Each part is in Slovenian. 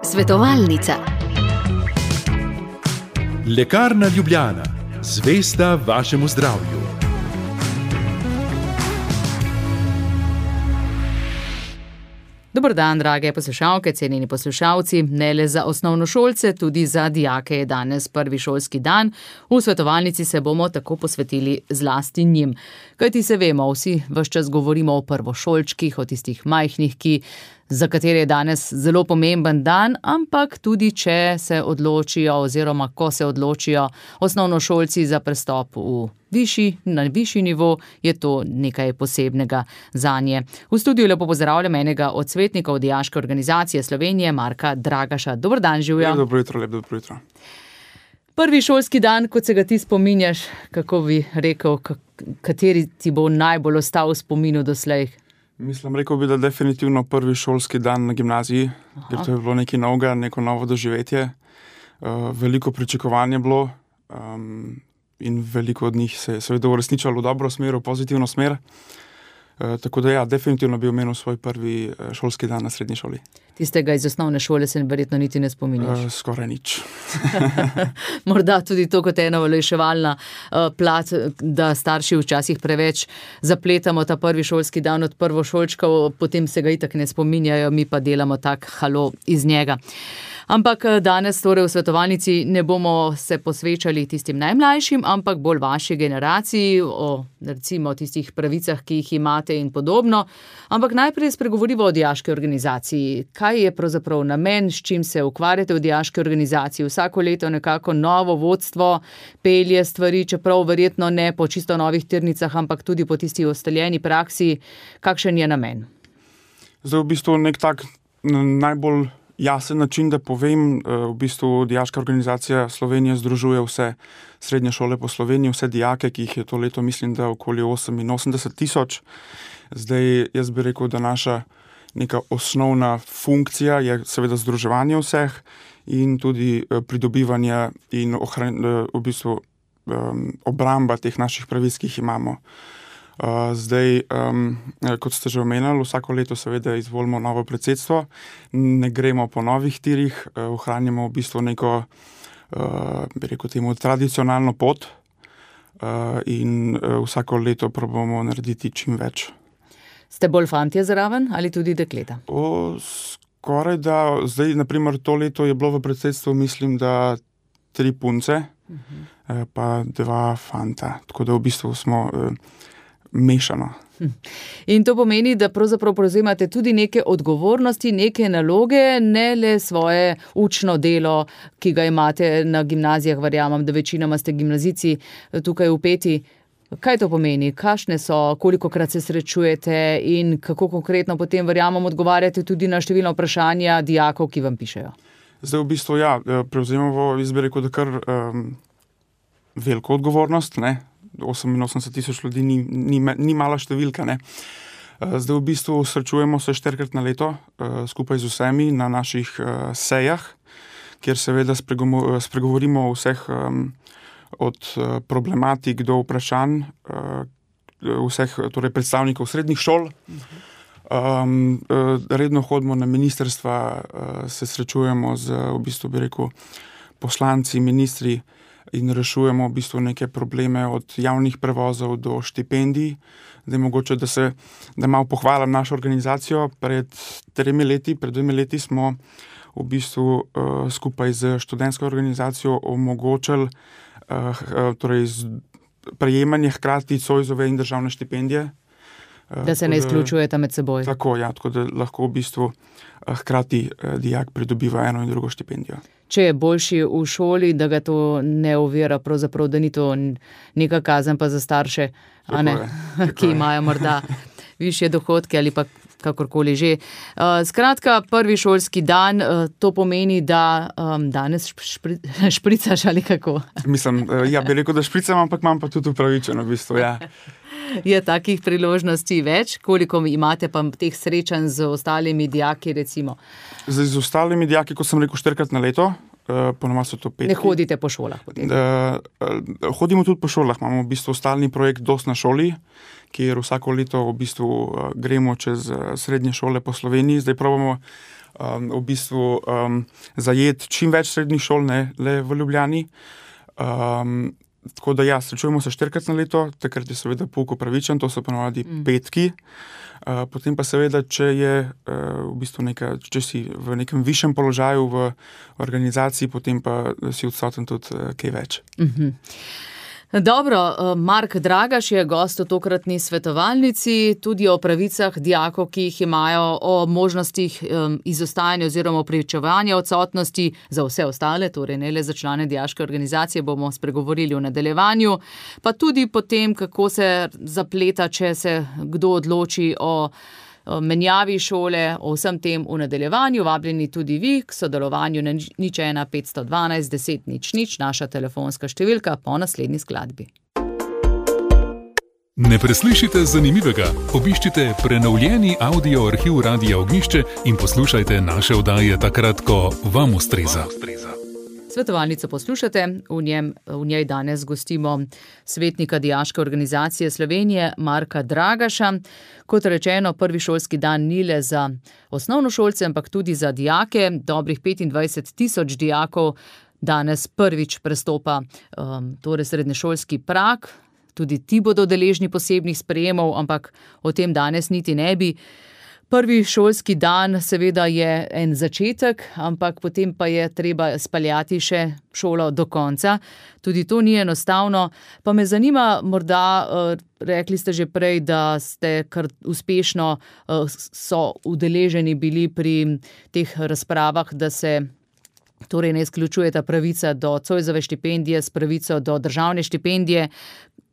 Svetovalnica. Lekarna Ljubljana, zvesta vašemu zdravju. Dober dan, drage poslušalke, cenjeni poslušalci. Ne le za osnovnošolce, tudi za dijake je danes prvi šolski dan. V svetovalnici se bomo tako posvetili zlasti njim. Kajti se vemo, vsi ves čas govorimo o prvošolčkih, o tistih majhnih, za katere je danes zelo pomemben dan, ampak tudi če se odločijo oziroma ko se odločijo osnovnošolci za prestop na višji nivo, je to nekaj posebnega zanje. V studiu lepo pozdravljam enega od svetnikov Dijaške organizacije Slovenije, Marka Dragaša. Dober dan, živjo. Dobro jutro. Prvi šolski dan, kot se ga ti spominjaš, kako bi rekel, kateri ti bo najbolj ostal v spominu doslej? Rekel bi, da definitivno prvi šolski dan na gimnaziji, ker to je bilo nekaj novega, neko novo doživetje. Veliko pričakovanje bilo in veliko od njih se je seveda uresničilo v dobro smer, v pozitivno smer. Tako da definitivno bi omenil svoj prvi šolski dan na srednji šoli. Tistega iz osnovne šole se verjetno niti ne spominjaš. Skoraj nič. Morda tudi to kot ena olajševalna plat, da starši včasih preveč zapletamo ta prvi šolski dan od prvošolčkov, potem se ga itak ne spominjajo, mi pa delamo tak halo iz njega. Ampak danes torej v svetovalnici ne bomo se posvečali tistim najmlajšim, ampak bolj vaši generaciji, o recimo tistih pravicah, ki jih imate in podobno. Ampak najprej spregovorimo o Dijaški organizaciji. Kaj je pravzaprav namen, s čim se ukvarjate v Dijaški organizaciji? Vsako leto nekako novo vodstvo pelje stvari, čeprav verjetno ne po čisto novih tirnicah, ampak tudi po tisti ustaljeni praksi. Kakšen je namen? Zdaj v bistvu nek tak najbolj jasen način, da povem, v bistvu Dijaška organizacija Slovenije združuje vse srednje šole po Sloveniji, vse dijake, ki jih je to leto, mislim, da okoli 88,000. Zdaj, jaz bi rekel, da naša neka osnovna funkcija je seveda združevanje vseh in tudi pridobivanje in v bistvu obramba teh naših pravic, ki jih imamo. Zdaj, kot ste že omenili, vsako leto seveda izvolimo novo predsedstvo, ne gremo po novih tirih, ohranjamo v bistvu neko, bi rekel temu, tradicionalno pot in vsako leto probamo narediti čim več. Ste bolj fantje zraven ali tudi dekleta? Skoraj da, zdaj naprimer to leto je bilo v predsedstvu, mislim, da 3 punce, pa 2 fanta, tako da v bistvu smo mešano. In to pomeni, da pravzaprav prevzemate tudi neke odgovornosti, neke naloge, ne le svoje učno delo, ki ga imate na gimnazijah, verjamem, da večinoma ste gimnazijci tukaj vpeti. Kaj to pomeni? Kakšne so, kolikokrat se srečujete in kako konkretno potem, verjamem, odgovarjate tudi na številna vprašanja dijakov, ki vam pišejo? Zdaj v bistvu prevzemamo, jaz bi rekel, da kar veliko odgovornost, ne? 88,000 ljudi ni mala številka, ne. Zdaj v bistvu srečujemo se 4-krat na leto skupaj z vsemi na naših sejah, kjer seveda spregovorimo o vseh od problematik do vprašanj vseh torej predstavnikov srednjih šol. Redno hodimo na ministrstva, se srečujemo z v bistvu bi rekel poslanci, ministri, in rešujemo v bistvu neke probleme od javnih prevozov do štipendij. Zdaj mogoče, da malo pohvalim našo organizacijo. Pred 2 leti smo v bistvu skupaj z študentsko organizacijo omogočili torej prejemanje hkrati Zoisove in državne štipendije. Da se ne izključujete med seboj. Tako da lahko v bistvu hkrati dijak pridobiva eno in drugo štipendijo. Če je boljši v šoli, da ga to ne ovira, pravzaprav, da ni to neka kazen pa za starše, ki imajo morda višje dohodke ali pa kakorkoli že. Skratka, prvi šolski dan, to pomeni, da danes špricaš ali kako? Mislim, bi rekel, da špricam, ampak imam pa tudi upravičeno v bistvu, Je takih priložnosti več? Koliko imate pa teh srečanj z ostalimi dijaki, recimo? Z ostalimi dijaki, kot sem rekel, 4-krat na leto, ponovadi so to 5. Ne hodite po šolah potem? Hodimo tudi po šolah, imamo v bistvu stalni projekt Dost na šoli, kjer vsako leto v bistvu gremo čez srednje šole po Sloveniji. Zdaj probamo v bistvu zajeti čim več srednjih šol, ne le v Ljubljani. Tako da ja, srečujemo se 4-krat na leto, takrat je seveda pouk upravičen, to so ponovadi petki. Potem pa seveda, če je v bistvu če si v nekem višjem položaju v organizaciji, potem pa si odsoten tudi kaj več. Dobro, Mark Dragaš je gost v tokratni svetovalnici, tudi o pravicah dijakov, ki jih imajo, o možnostih izostajanja oziroma opravičevanja odsotnosti za vse ostale, torej ne le za člane dijaške organizacije, bomo spregovorili v nadaljevanju, pa tudi potem, kako se zapleta, če se kdo odloči o menjavi šole, o vsem tem v nadaljevanju. Vabljeni tudi vi k sodelovanju na 01 512 10 00, naša telefonska številka po naslednji skladbi. Ne preslišite zanimivega, obiščite prenovljeni audio arhiv Radia Ognjišče in poslušajte naše oddaje takrat, ko vam ustreza. Svetovalnico poslušate, v njej danes gostimo svetnika Dijaške organizacije Slovenije Marka Dragaša. Kot rečeno, prvi šolski dan ni le za osnovnošolce, ampak tudi za dijake. Dobrih 25,000 dijakov danes prvič prestopa torej srednješolski prag. Tudi ti bodo deležni posebnih sprejemov, ampak o tem danes niti ne bi. Prvi šolski dan seveda je en začetek, ampak potem pa je treba speljati še šolo do konca. Tudi to ni enostavno. Pa me zanima, morda, rekli ste že prej, da ste kar uspešno so udeleženi bili pri teh razpravah, da se torej ne izključuje ta pravica do Zoisove štipendije s pravico do državne štipendije.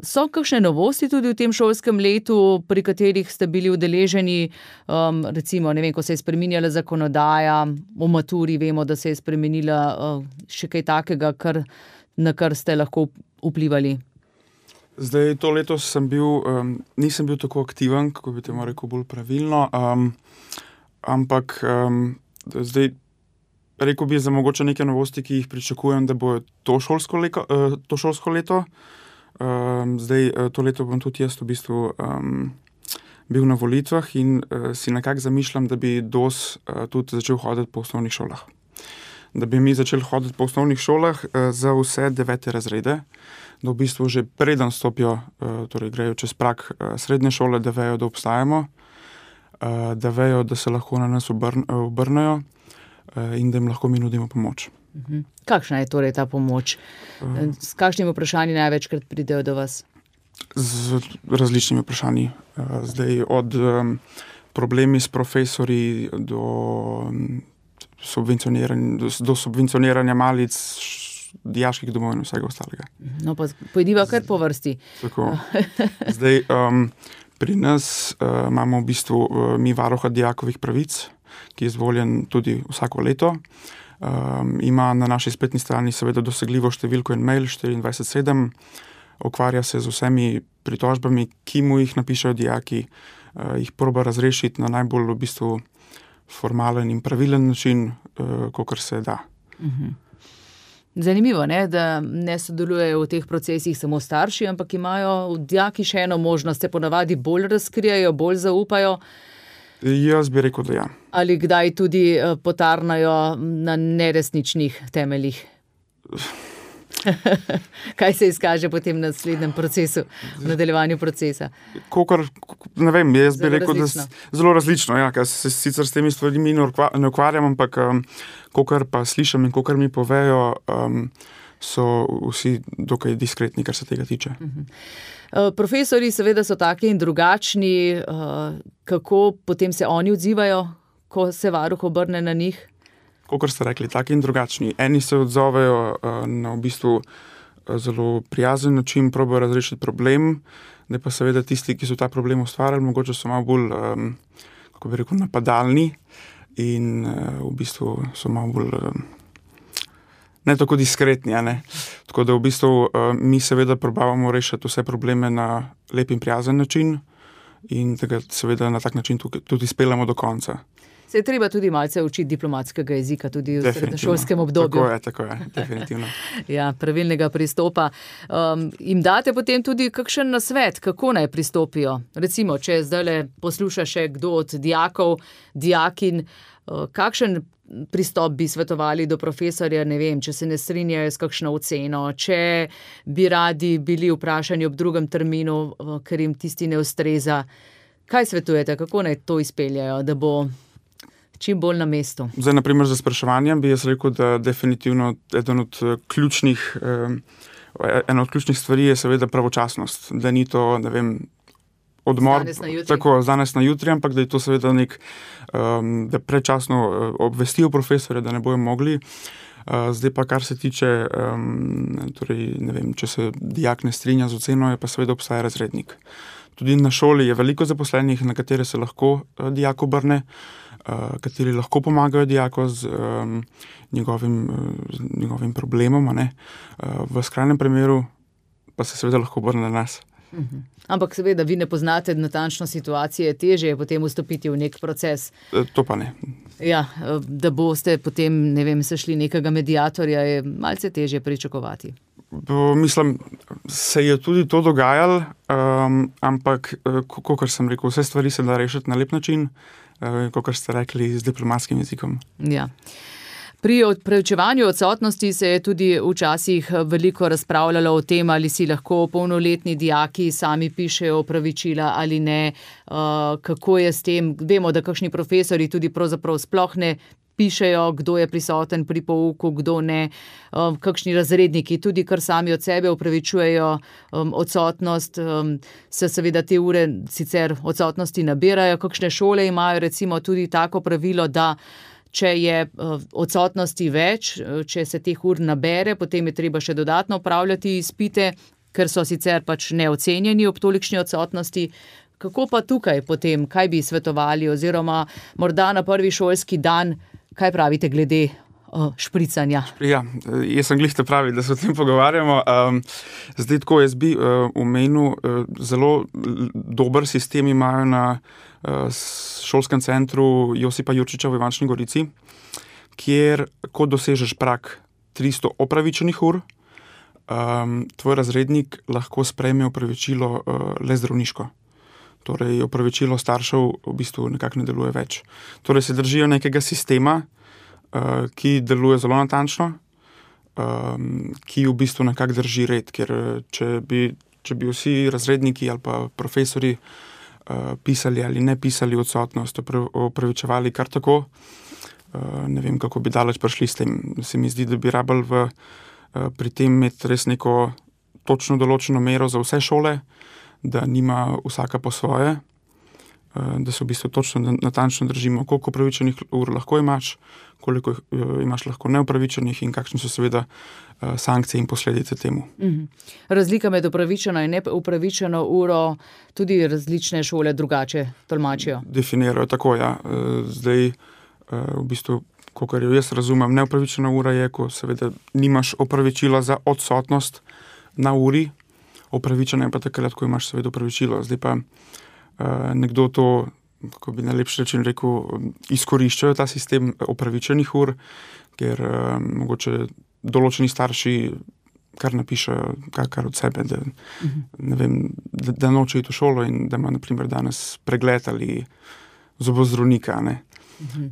So kakšne novosti tudi v tem šolskem letu, pri katerih ste bili udeleženi, recimo, ne vem, ko se je spreminjala zakonodaja, v maturi vemo, da se je spremenila še kaj takega, na kar ste lahko vplivali? Zdaj, to leto nisem bil tako aktiven, kako bi temu rekel bolj pravilno, ampak zdaj rekel bi za mogoče neke novosti, ki jih pričakujem, da bo to šolsko leto. Zdaj, to leto bom tudi jaz v bistvu bil na volitvah in si nekako zamišljam, da bi DOS tudi začel hoditi po osnovnih šolah. Da bi mi začeli hoditi po osnovnih šolah za vse 9. razrede, da v bistvu že preden stopijo, torej grejo čez prag srednje šole, da vejo, da obstajamo, da vejo, da se lahko na nas obrnejo in da jim lahko mi nudimo pomoč. Kakšna je torej ta pomoč? S kakšnimi vprašanji največkrat pridejo do vas? Z različnimi vprašanji. Zdaj od problemi s profesorji do subvencioniranja malic, dijaških domov in vsega ostalega. No pa pojdiva kar po vrsti. Tako. Zdaj, pri nas imamo v bistvu mi varuha dijakovih pravic, ki je izvoljen tudi vsako leto. Ima na naši spletni strani seveda dosegljivo številko in mail 24/7, ukvarja se z vsemi pritožbami, ki mu jih napišejo dijaki, jih proba razrešiti na najbolj v bistvu formalen in pravilen način, kakor se da. Zanimivo, ne, da ne sodelujejo v teh procesih samo starši, ampak imajo dijaki še eno možnost, se ponavadi bolj razkrijajo, bolj zaupajo. Jaz bi rekel, da ja. Ali kdaj tudi potarnajo na neresničnih temeljih? Kaj se izkaže potem na naslednjem procesu, v nadaljevanju procesa? Ne vem, jaz bi rekel, da zelo različno, ja, ker se sicer s temi stvarmi ne ukvarjam, ampak kakor pa slišim in kakor mi povejo, so vsi dokaj diskretni, kar se tega tiče. Profesori seveda so taki in drugačni, kako potem se oni odzivajo, ko se varuh obrne na njih? Kakor ste rekli, taki in drugačni. Eni se odzovejo na v bistvu zelo prijazen način, probajo razrešiti problem, da pa seveda tisti, ki so ta problem ustvarjali, mogoče so malo bolj, kako bi rekel, napadalni in v bistvu so malo bolj ne tako diskretni, ne. Tako da v bistvu mi seveda probavamo rešiti vse probleme na lep in prijazen način in da ga seveda na tak način tudi speljamo do konca. Se je treba tudi malce učiti diplomatskega jezika, tudi v srednješolskem obdobju. Tako je, definitivno. Ja, pravilnega pristopa. Jim date potem tudi kakšen nasvet, kako naj pristopijo? Recimo, če zdaj posluša še kdo od dijakov, dijakin, kakšen pristop bi svetovali do profesorja, ne vem, če se ne strinjajo s kakšno oceno, če bi radi bili vprašani ob drugem terminu, ker jim tisti ne ustreza. Kaj svetujete, kako naj to izpeljajo, da bo čim bolj na mestu? Zdaj, naprimer, za spraševanje bi jaz rekel, da definitivno ena od ključnih stvari je seveda pravočasnost, da ni to, ne vem, odmor, tako danes na jutri, ampak da je to seveda da predčasno obvestijo profesorja, da ne bojo mogli. Zdaj pa, kar se tiče, torej, ne vem, če se dijak ne strinja z oceno, je pa seveda obstaja razrednik. Tudi na šoli je veliko zaposlenih, na katere se lahko dijak obrne, kateri lahko pomagajo dijaku z njegovim problemom, a ne. V skrajnem primeru pa se seveda lahko obrne na nas. Ampak seveda, vi ne poznate natančno situacije, težje je potem vstopiti v nek proces. To pa ne. Ja, da boste potem, ne vem, sešli nekega mediatorja, je malce težje pričakovati. Mislim, se je tudi to dogajalo, ampak, kakor sem rekel, vse stvari se da rešiti na lep način, kakor ste rekli, z diplomatskim jezikom. Ja. Pri preučevanju odsotnosti se je tudi včasih veliko razpravljalo o tem, ali si lahko polnoletni dijaki sami pišejo opravičila ali ne, kako je s tem. Vemo, da kakšni profesori tudi pravzaprav sploh ne pišejo, kdo je prisoten pri pouku, kdo ne, kakšni razredniki tudi kar sami od sebe opravičujejo odsotnost, se seveda te ure sicer odsotnosti nabirajo. Kakšne šole imajo recimo tudi tako pravilo, da če je odsotnosti več, če se teh ur nabere, potem je treba še dodatno opravljati izpite, ker so sicer pač neocenjeni ob tolikšni odsotnosti. Kako pa tukaj potem, kaj bi svetovali, oziroma morda na prvi šolski dan, kaj pravite glede špricanja? Ja, jaz sem glih te pravi, da se o tem pogovarjamo. Zdaj tako, jaz bi omenil, zelo dober sistem imajo na šolskem centru Josipa Jurčiča v Ivančni Gorici, kjer, ko dosežeš prag 300 opravičenih ur, tvoj razrednik lahko sprejme opravičilo le zdravniško. Torej, opravičilo staršev v bistvu nekako ne deluje več. Torej, se držijo nekega sistema, ki deluje zelo natančno, ki v bistvu nekako drži red, ker če bi vsi razredniki ali pa profesori pisali ali ne pisali odsotnost, opravičevali kar tako, ne vem, kako bi daleč prišli s tem. Se mi zdi, da bi rabili pri tem imeti res neko točno določeno mero za vse šole, da nima vsaka po svoje, da se v bistvu točno natančno držimo, koliko opravičenih ur lahko imaš, koliko imaš lahko neopravičenih in kakšne so seveda sankcije in posledice temu. Razlika med upravičeno in neupravičeno uro tudi različne šole drugače tolmačijo? Definirajo tako, ja. Zdaj, v bistvu, kakor jo jaz razumem, neupravičena ura je, ko seveda nimaš opravičila za odsotnost na uri, opravičena je pa takrat, ko imaš seveda opravičilo. Zdaj pa nekdo to, kako bi najlepši način rekel, izkoriščajo ta sistem opravičenih ur, ker mogoče določeni starši kar napišejo kar od sebe, da, ne vem, da noče iti v šolo in da ima na primer danes pregled ali zobozdravnika, ne.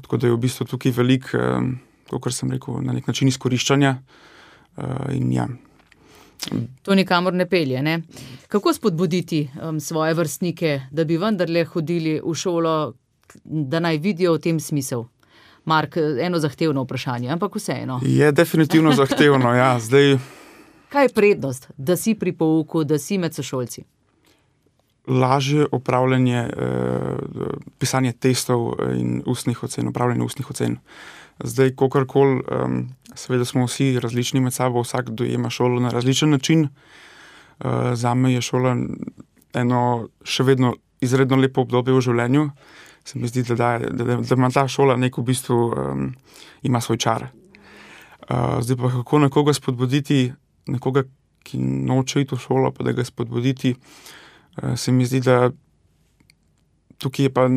Tako da je v bistvu tukaj veliko, kakor sem rekel, na nek način izkoriščanja in ja. To nikamor ne pelje, ne? Kako spodbuditi svoje vrstnike, da bi vendarle hodili v šolo, da naj vidijo v tem smisel? Mark, eno zahtevno vprašanje, ampak vseeno. Je definitivno zahtevno, ja. Zdaj... Kaj je prednost, da si pri pouku, da si med sošolci? Lažje opravljanje, pisanje testov in ustnih ocen, opravljanje ustnih ocen. Zdaj, kakorkoli, seveda smo vsi različni med sabo, vsak dojema šolo na različen način. Zame je šola eno še vedno izredno lepo obdobje v življenju. Se mi zdi, da ima ta šola nek v bistvu, ima svoj čar. Zdaj pa kako nekoga spodbuditi, nekoga, ki noče iti v šolo, pa da ga spodbuditi, se mi zdi, da tukaj je pa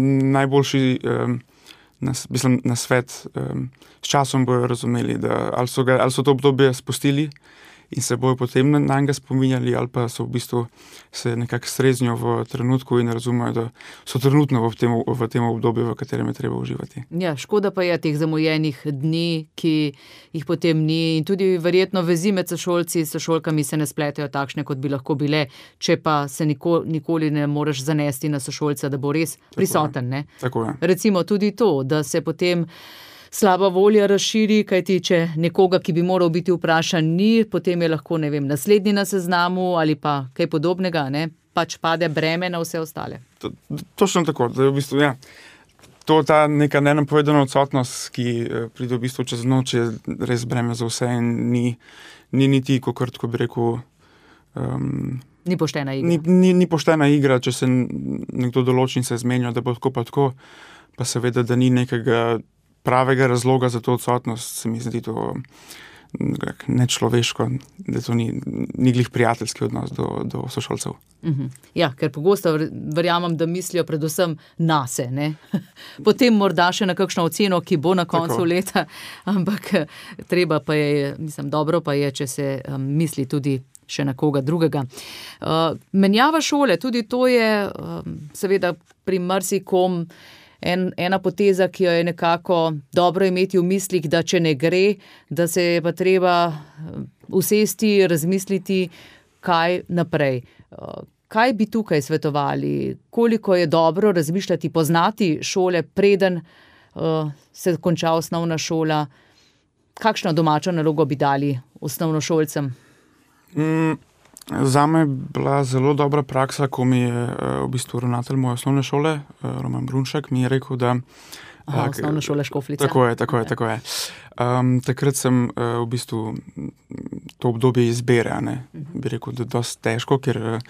na svet, s časom bojo razumeli, da ali so to obdobje spustili in se bojo potem na njega spominjali, ali pa so v bistvu se nekako streznijo v trenutku in razumejo, da so trenutno v tem obdobju, v katerem je treba uživati. Ja, škoda pa je teh zamujenih dni, ki jih potem ni, in tudi verjetno vezi med sošolkami se ne spletejo takšne, kot bi lahko bile, če pa se nikoli ne moreš zanesti na sošolca, da bo res prisoten. Ne? Tako je. Recimo tudi to, da se potem slaba volja razširi, kajti če nekoga, ki bi moral biti vprašan, ni, potem je lahko, ne vem, naslednji na seznamu ali pa kaj podobnega, ne, pač pade breme na vse ostale. Točno tako, da je v bistvu, ja, to ta neka nenapovedana odsotnost, ki pride v bistvu čez noč, je res breme za vse in ni niti, kot bi rekel, ni poštena igra. Ni poštena igra, če se nekdo določi in se zmenja, da bo tako pa tako, pa seveda, da ni nekega pravega razloga za to odsotnost, se mi zdi to nečloveško, da to ni glih prijateljski odnos do sošolcev. Ja, ker pogosto verjamem, da mislijo predvsem nase, ne? Potem morda še na kakšno oceno, ki bo na koncu leta, ampak treba pa je, dobro pa je, če se misli tudi še na koga drugega. Menjava šole, tudi to je seveda pri marsikom ena poteza, ki jo je nekako dobro imeti v mislih, da če ne gre, da se je pa treba usesti, razmisliti, kaj naprej. Kaj bi tukaj svetovali? Koliko je dobro razmišljati, poznati šole, preden se konča osnovna šola? Kakšno domačo nalogo bi dali osnovnošolcem? Zame je bila zelo dobra praksa, ko mi je v bistvu ravnatelj moje osnovne šole, Roman Brunšek, mi je rekel, da... Osnovna šola Škofljica. Tako je. Takrat sem v bistvu to obdobje izbere, ne? Bi rekel, da je dosti težko, ker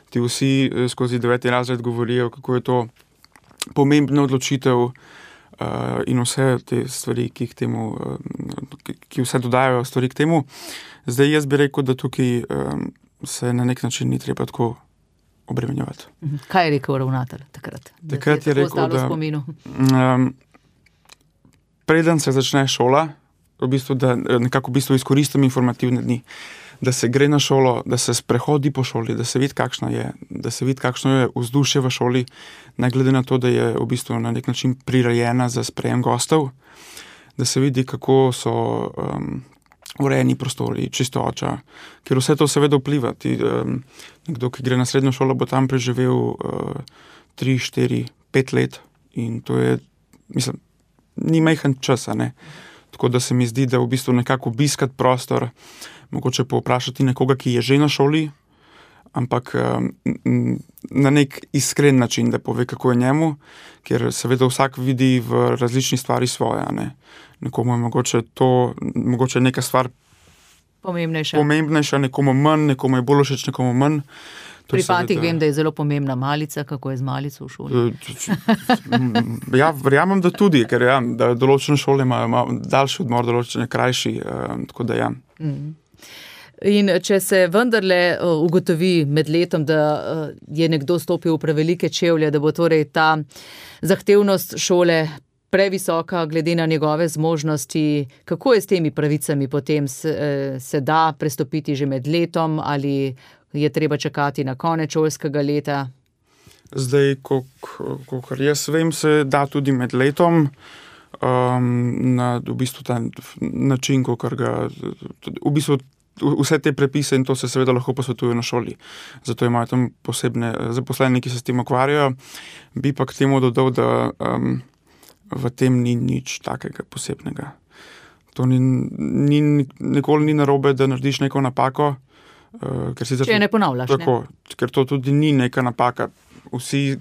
ti vsi skozi 9. razred govorijo, kako je to pomembna odločitev in vse te stvari, ki vse dodajajo stvari k temu. Zdaj jaz bi rekel, da tukaj se na nek način ni treba tako obremenjevati. Kaj je rekel ravnatelj takrat? Takrat je rekel, da preden se začne šola, da nekako izkoristim informativne dni, da se gre na šolo, da se sprehodi po šoli, da se vidi, kakšno je vzdušje v šoli, ne glede na to, da je v bistvu na nek način prirejena za sprejem gostov, da se vidi, kako so urejeni prostori, čistoča, ker vse to seveda vpliva. Nekdo, ki gre na srednjo šolo, bo tam preživel 3, 4, 5 let in to je, ni majhen čas, ne. Tako da se mi zdi, da v bistvu nekako obiskati prostor, mogoče povprašati nekoga, ki je že na šoli, ampak na nek iskren način, da pove, kako je njemu, ker seveda vsak vidi v različni stvari svoje, ne. Nekomu je mogoče neka stvar pomembnejša, nekomu manj, nekomu je bolj všeč, nekomu manj. Pri fantih vem, da je zelo pomembna malica, kako je z malico v šoli. Ja, verjamem, da tudi, ker da določene šole imajo daljši odmor, določene krajši, tako da ja. In če se vendarle ugotovi med letom, da je nekdo stopil v prevelike čevlje, da bo torej ta zahtevnost šole previsoka glede na njegove zmožnosti, kako je s temi pravicami potem? Se da prestopiti že med letom ali je treba čakati na konec šolskega leta? Zdaj, kakor jaz vem, se da tudi med letom, na v bistvu ta način, kakor ga v bistvu vse te prepise in to se seveda lahko posvetuje na šoli. Zato imajo tam posebne zaposleni, ki se s tem ukvarjajo. Bi pa k temu dodal, da v tem ni nič takega posebnega. To nikoli ni narobe, da narediš neko napako. Če je ne ponavljaš. Tako, ker to tudi ni neka napaka. Vsi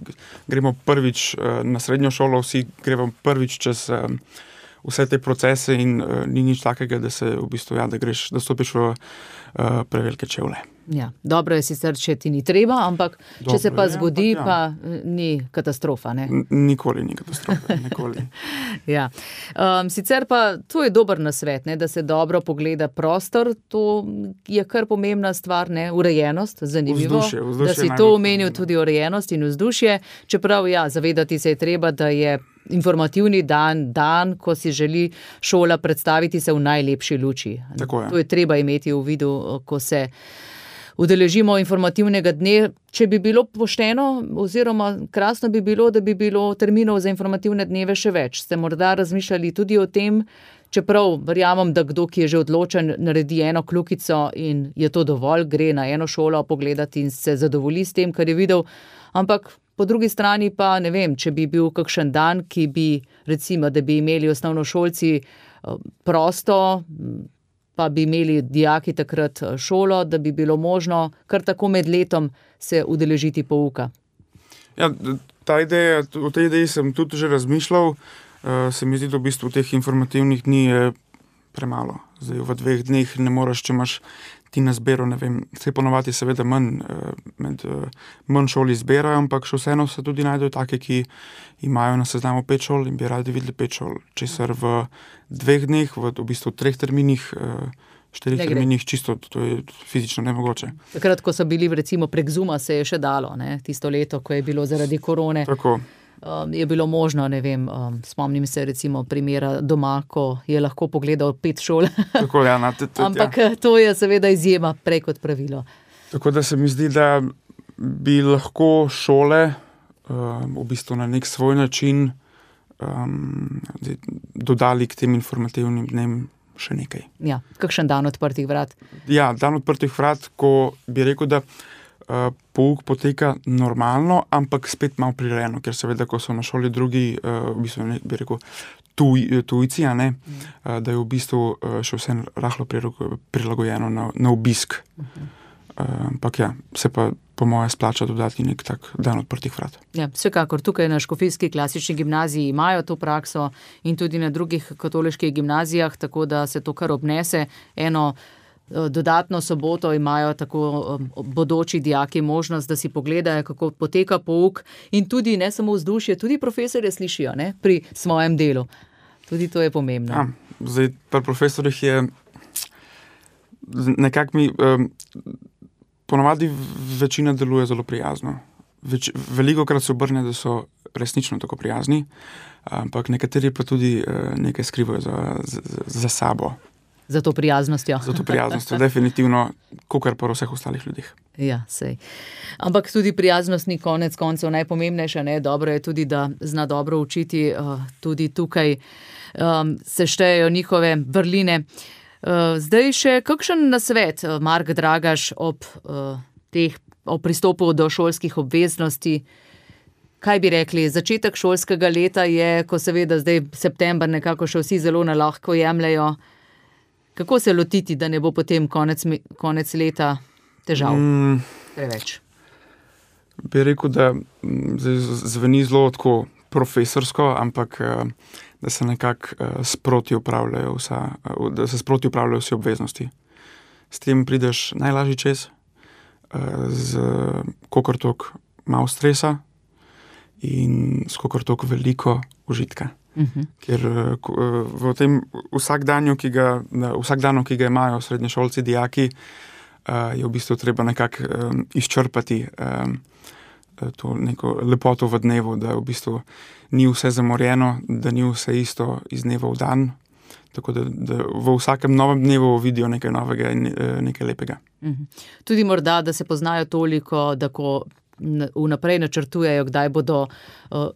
gremo prvič na srednjo šolo, vsi gremo prvič čez vse te procese in ni nič takega, da se v bistvu, da stopiš v prevelike čevlje. Ja, dobro je sicer, če ti ni treba, ampak če se pa zgodi, pa ni katastrofa, ne? Nikoli ni katastrofa, nikoli. Ja. Sicer pa to je dober nasvet, ne, da se dobro pogleda prostor, to je kar pomembna stvar, ne, urejenost, zanimivo, vzdušje da si to omenil, tudi urejenost in vzdušje, čeprav zavedati se je treba, da je informativni dan, ko si želi šola predstaviti se v najlepši luči. Tako je. To je treba imeti v vidu, ko se udeležimo informativnega dne. Če bi bilo pošteno oziroma krasno bi bilo, da bi bilo terminov za informativne dneve še več. Ste morda razmišljali tudi o tem, čeprav verjamem, da kdo, ki je že odločen, naredi eno kljukico in je to dovolj, gre na eno šolo pogledati in se zadovolji s tem, kar je videl, ampak po drugi strani pa ne vem, če bi bil kakšen dan, ki bi, recimo, da bi imeli osnovnošolci prosto, pa bi imeli dijaki takrat šolo, da bi bilo možno kar tako med letom se udeležiti pouka. Ja, o tej ideji sem tudi že razmišljal. Se mi zdi, da v bistvu teh informativnih dni je premalo. Zdaj, v 2 dneh ne moreš, če imaš ti na zbero, ne vem, se ponovati seveda manj šol izberajo, ampak še vseeno se tudi najdejo take, ki imajo na seznamu 5 šol in bi radi videli 5 šol. Česar v 2 dneh, v bistvu 3 terminih, 4 terminih, čisto, to je fizično nemogoče. Takrat, ko so bili recimo prek Zooma, se je še dalo, ne? Tisto leto, ko je bilo zaradi korone. Tako. Je bilo možno, ne vem, spomnim se recimo primera doma, ko je lahko pogledal 5 šol. Tako, ja, ampak to je seveda izjema prej kot pravilo. Tako da se mi zdi, da bi lahko šole v bistvu na nek svoj način dodali k tem informativnim dnem še nekaj. Ja, kakšen dan odprtih vrat? Ja, dan odprtih vrat, ko bi rekel, da pouk poteka normalno, ampak spet malo prirejeno, ker seveda, ko so na šoli drugi, v bistvu ne, bi rekel, tujci, a ne, da je v bistvu še vse rahlo prilagojeno na obisk. Ampak ja, se pa po moje splača dodati nek tak dan odprtih vrat. Ja, vsekakor tukaj na Škofijski klasični gimnaziji imajo to prakso in tudi na drugih katoliških gimnazijah, tako da se to kar obnese. Eno dodatno soboto imajo tako bodoči dijaki možnost, da si pogledajo, kako poteka pouk in tudi ne samo vzdušje, tudi profesorje slišijo, ne, pri svojem delu. Tudi to je pomembno. Ja, zdaj pri profesorjih je nekako mi ponovadi večina deluje zelo prijazno. Velikokrat se obrne, da so resnično tako prijazni, ampak nekateri pa tudi nekaj skrivajo za sabo. Za to prijaznostjo. Za to prijaznostjo, definitivno, kakor pa vseh ostalih ljudeh. Ja, sej. Ampak tudi prijaznost ni konec koncev najpomembnejša, ne? Dobro je tudi, da zna dobro učiti, tudi tukaj se štejejo njihove vrline. Zdaj še kakšen nasvet, Mark Dragaš, ob pristopu do šolskih obveznosti? Kaj bi rekli, začetek šolskega leta je, ko seveda zdaj september nekako še vsi zelo nalahko jemljajo. Kako se lotiti, da ne bo potem konec leta težav? Preveč. Bi rekel, da zveni zelo tako profesorsko, ampak da se nekako sproti upravljajo vsi obveznosti. S tem prideš najlažji čez, z kakor toliko malo stresa in s kakor toliko veliko užitka. Ker v tem vsakdanu, ki ga imajo srednješolci, dijaki, je v bistvu treba nekako izčrpati to neko lepoto v dnevu, da v bistvu ni vse zamorjeno, da ni vse isto iz dneva v dan, tako da v vsakem novem dnevu vidijo nekaj novega in nekaj lepega. Tudi morda, da se poznajo toliko, da ko vnaprej načrtujejo, kdaj bodo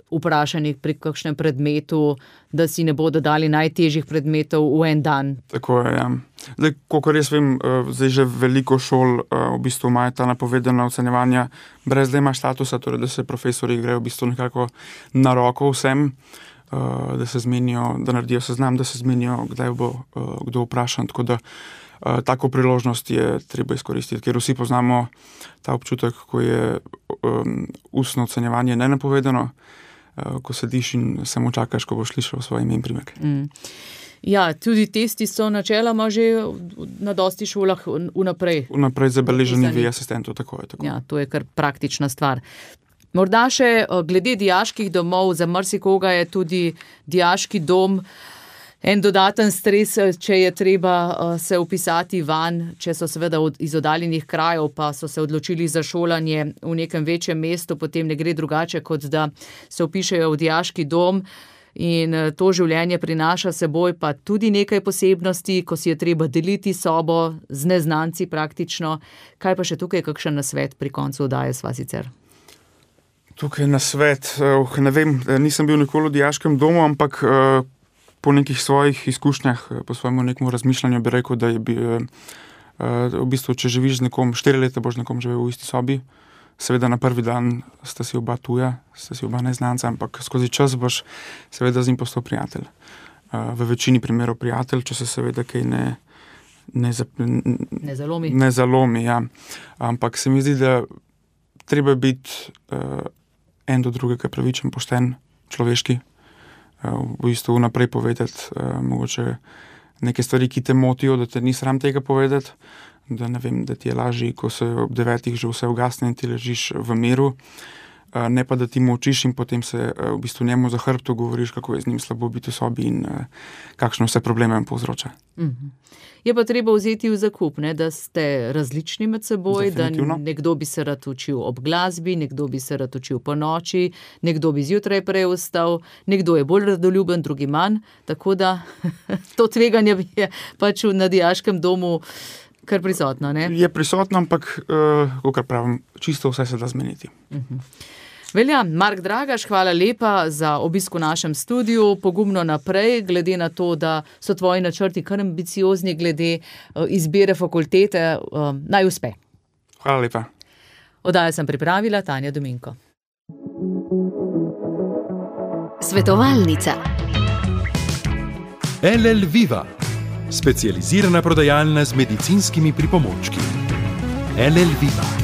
vprašani pri kakšnem predmetu, da si ne bodo dali najtežjih predmetov v en dan. Tako je, ja. Zdaj, kolikor jaz vem, zdaj že veliko šol v bistvu imajo ta napovedana ocenjevanja brez da ima statusa, torej da se profesori grejo v bistvu nekako na roko vsem, da se zmenijo, da naredijo seznam, da se zmenijo, kdaj bo kdo vprašan, tako da tako priložnost je treba izkoristiti, ker vsi poznamo ta občutek, ko je ustno ocenjevanje nenapovedano, ko sediš in samo čakaš, ko boš slišal svoj ime in priimek. Ja, tudi testi so načeloma že na dosti šolah vnaprej. Vnaprej zabeleženi v asistentu, tako je. Tako. Ja, to je kar praktična stvar. Morda še glede dijaških domov, za marsikoga je tudi dijaški dom en dodaten stres, če je treba se vpisati van, če so seveda iz oddaljenih krajev, pa so se odločili za šolanje v nekem večjem mestu, potem ne gre drugače, kot da se vpišejo v dijaški dom. In to življenje prinaša seboj pa tudi nekaj posebnosti, ko si je treba deliti sobo z neznanci praktično. Kaj pa še tukaj, kakšen nasvet pri koncu oddaje sva sicer? Tukaj nasvet, ne vem, nisem bil nikoli v dijaškem domu, ampak po nekih svojih izkušnjah, po svojemu nekemu razmišljanju bi rekel, da je v bistvu, če živiš z nekom, 4 leta boš nekom živel v isti sobi. Seveda na prvi dan sta si oba tuja, sta si oba neznanca, ampak skozi čas boš seveda z njim postal prijatelj. V večini primerov prijatelj, če se seveda kaj ne zalomi. Ja. Ampak se mi zdi, da treba biti en do drugega pravičen, pošten, človeški. V bistvu naprej povedati mogoče neke stvari, ki te motijo, da te ni sram tega povedati. Da ne vem, da ti je lažje, ko se ob 9 že vse ugasne in ti ležiš v miru, ne pa da ti molčiš in potem se v bistvu njemu za hrbtom govoriš, kako je z njim slabo biti v sobi in kakšne vse probleme jim povzroča. Je pa treba vzeti v zakup, ne, da ste različni med seboj, da nekdo bi se rad učil ob glasbi, nekdo bi se rad učil po noči, nekdo bi zjutraj prej vstal, nekdo je bolj radoljuben, drugi manj, tako da to tveganje je pač na dijaškem domu kar prisotno, ne? Je prisotno, ampak, kakor pravim, čisto vse se da zmeniti. Velja, Mark Dragaš, hvala lepa za obisk v našem studiu, pogumno naprej, glede na to, da so tvoji načrti kar ambiciozni glede izbire fakultete, naj uspe. Hvala lepa. Oddajo sem pripravila Tanja Dominko. Svetovalnica. LL Viva, specializirana prodajalna z medicinskimi pripomočki. LL Viva.